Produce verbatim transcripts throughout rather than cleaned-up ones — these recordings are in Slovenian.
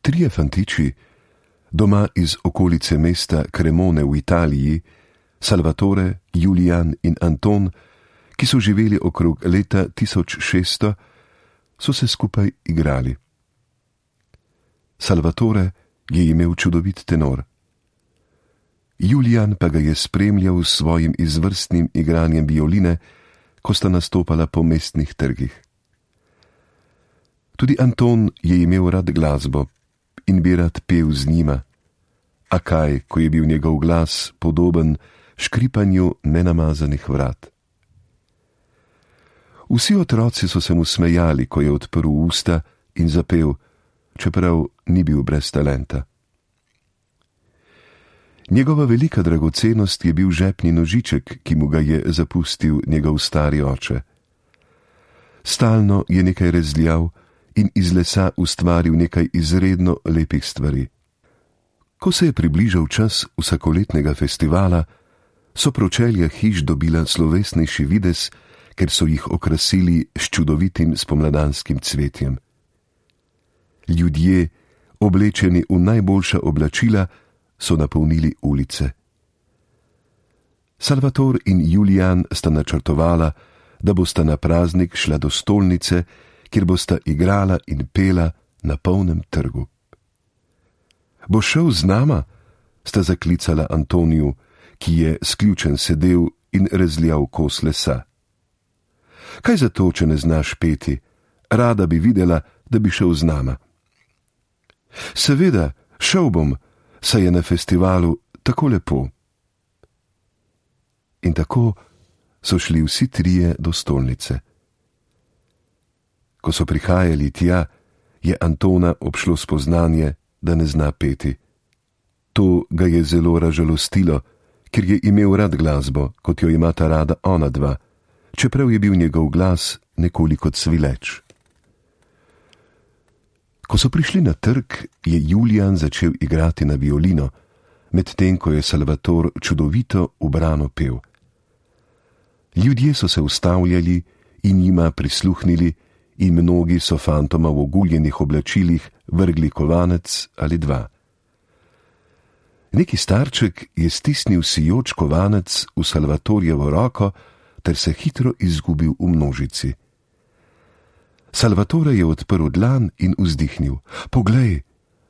Trije fantiči, doma iz okolice mesta Cremone v Italiji, Salvatore, Julian in Anton, ki so živeli okrog leta tisoč šeststo, so se skupaj igrali. Salvatore je imel čudovit tenor. Julian pa ga je spremljal s svojim izvrstnim igranjem violine, ko sta nastopala po mestnih trgih. Tudi Anton je imel rad glasbo in bi rad pel z njima, a kaj, ko je bil njegov glas podoben škripanju nenamazanih vrat. Vsi otroci so se mu smejali, ko je odprl usta in zapel, čeprav ni bil brez talenta. Njegova velika dragocenost je bil žepni nožiček, ki mu ga je zapustil njegov stari oče. Stalno je nekaj rezljal in iz lesa ustvaril nekaj izredno lepih stvari. Ko se je približal čas vsakoletnega festivala, so pročelja hiš dobila slovesnejši videz, ker so jih okrasili s čudovitim spomladanskim cvetjem. Ljudje, oblečeni v najboljša oblačila, so napolnili ulice. Salvator in Julian sta načrtovala, da bosta na praznik šla do stolnice, kjer bosta igrala in pela na polnem trgu. Bo šel z nama? Sta zaklicala Antoniju, ki je sključen sedel in rezljal kos lesa. Kaj zato, če ne znaš peti? Rada bi videla, da bi šel z nama. Seveda, šel bom, saj je na festivalu tako lepo. In tako so šli vsi trije do stolnice. Ko so prihajali tja, je Antona obšlo spoznanje, da ne zna peti. To ga je zelo razžalostilo, ker je imel rad glasbo, kot jo imata rada ona dva, čeprav je bil njegov glas nekoliko cvileč. Ko so prišli na trg, je Julian začel igrati na violino, medtem ko je Salvator čudovito ubrano pel. Ljudje so se ustavljali in jima prisluhnili in mnogi so fantoma v oguljenih oblačilih vrgli kovanec ali dva. Neki starček je stisnil sijoč kovanec v Salvatorjevo roko ter se hitro izgubil v množici. Salvatore je odprl dlan in vzdihnil. Poglej,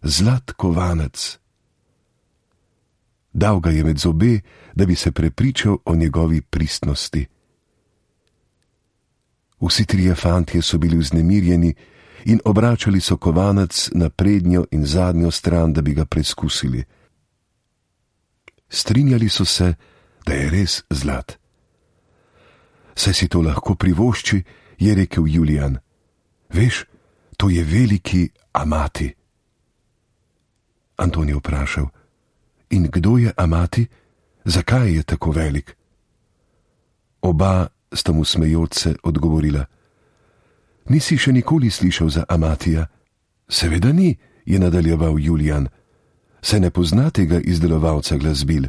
zlat kovanec. Dal ga je med zobe, da bi se prepričal o njegovi pristnosti. Vsi trije fantje so bili vznemirjeni in obračali so kovanec na prednjo in zadnjo stran, da bi ga preskusili. Strinjali so se, da je res zlat. Saj si to lahko privošči, je rekel Julian. Veš, to je veliki Amati. Anton je vprašal, in kdo je Amati? Zakaj je tako velik? Oba sta mu smejoč se odgovorila. Nisi še nikoli slišal za Amatija? Seveda ni, je nadaljeval Julian. Se ne pozna tega izdelovalca glasbil.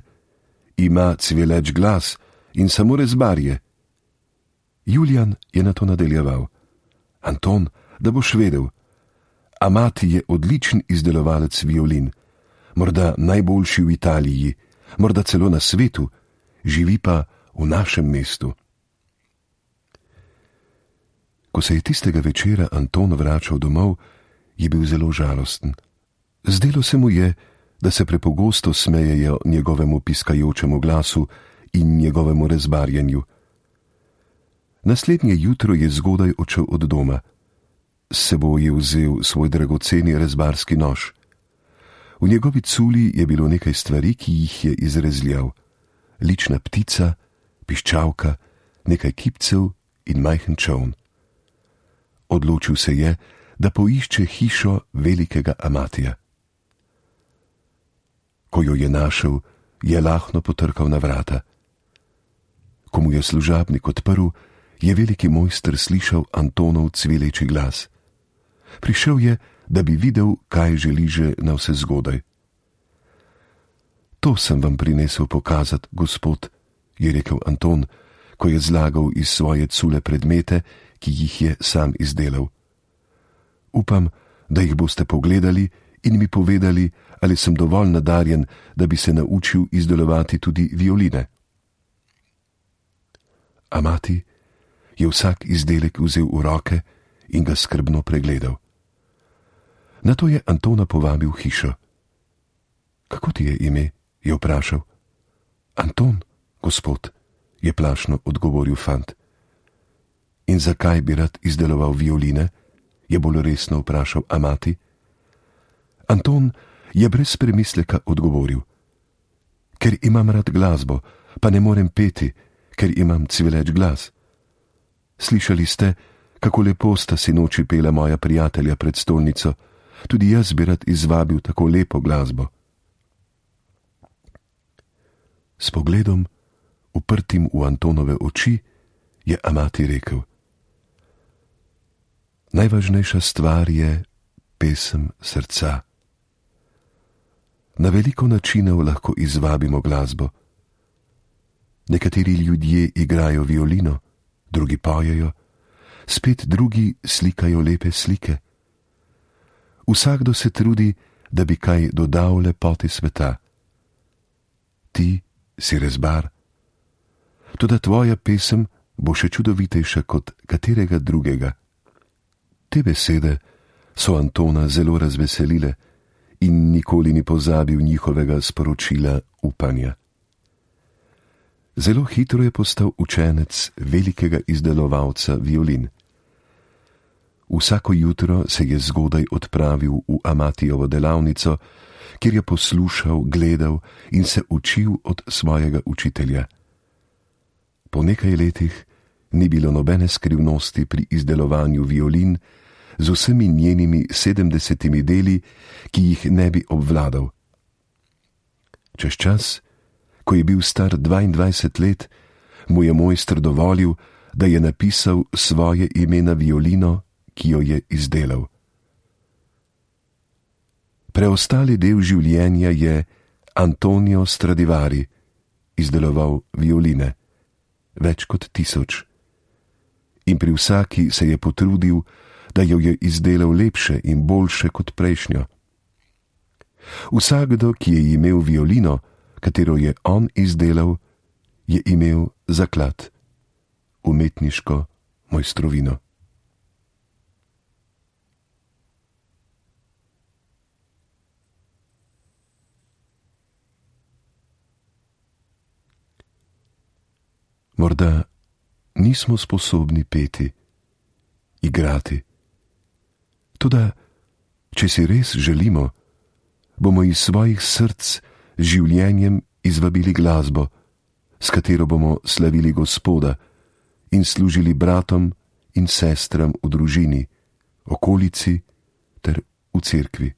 Ima cvileč glas in samo rezbar je. Julian je na to nadaljeval. Anton, da boš vedel, Amati je odličen izdelovalec violin, morda najboljši v Italiji, morda celo na svetu, živi pa v našem mestu. Ko se je tistega večera Anton vračal domov, je bil zelo žalosten. Zdelo se mu je, da se prepogosto smejejo njegovemu piskajočemu glasu in njegovemu rezbarjenju. Naslednje jutro je zgodaj odšel od doma. S seboj je vzel svoj dragoceni rezbarski nož. V njegovi culi je bilo nekaj stvari, ki jih je izrezljal. Lična ptica, piščalka, nekaj kipcev in majhen čoln. Odločil se je, da poišče hišo velikega Amatija. Ko jo je našel, je lahno potrkal na vrata. Ko mu je služabnik odprl, je veliki mojster slišal Antonov cvileči glas. Prišel je, da bi videl, kaj želi že na vse zgodaj. To sem vam prinesel pokazati, gospod, je rekel Anton, ko je zlagal iz svoje cule predmete, ki jih je sam izdelal. Upam, da jih boste pogledali in mi povedali, ali sem dovolj nadarjen, da bi se naučil izdelovati tudi violine. A mati je vsak izdelek vzel v roke in ga skrbno pregledal. Nato je Antona povabil v hišo. Kako ti je ime? Je vprašal. Anton, gospod, je plašno odgovoril fant. In zakaj bi rad izdeloval violine? Je bolj resno vprašal Amati. Anton je brez premisleka odgovoril. Ker imam rad glasbo, pa ne morem peti, ker imam cvileč glas. Slišali ste, kako lepo sta sinoči pela moja prijatelja pred stolnico, tudi jaz bi rad izvabil tako lepo glasbo. S pogledom, uprtim v Antonove oči, je Amati rekel. Najvažnejša stvar je pesem srca. Na veliko načinov lahko izvabimo glasbo. Nekateri ljudje igrajo violino, drugi pojejo, spet drugi slikajo lepe slike. Vsakdo se trudi, da bi kaj dodal lepoti sveta. Ti si rezbar. Toda tvoja pesem bo še čudovitejša kot katerega drugega. Te besede so Antona zelo razveselile in nikoli ni pozabil njihovega sporočila upanja. Zelo hitro je postal učenec velikega izdelovalca violin. Vsako jutro se je zgodaj odpravil v Amatijevo delavnico, kjer je poslušal, gledal in se učil od svojega učitelja. Po nekaj letih ni bilo nobene skrivnosti pri izdelovanju violin z vsemi njenimi sedemdesetimi deli, ki jih ne bi obvladal. Čez čas, ko je bil star dvaindvajset let, mu je mojster dovolil, da je napisal svoje ime na violino, ki jo je izdelal. Preostali del življenja je Antonio Stradivari izdeloval violine, več kot tisoč. In pri vsaki se je potrudil, da jo je izdelal lepše in boljše kot prejšnjo. Vsakdo, ki je imel violino, katero je on izdelal, je imel zaklad, umetniško mojstrovino. Morda nismo sposobni peti, igrati. Toda, če si res želimo, bomo iz svojih src z življenjem izvabili glasbo, s katero bomo slavili Gospoda in služili bratom in sestram v družini, okolici ter v cerkvi.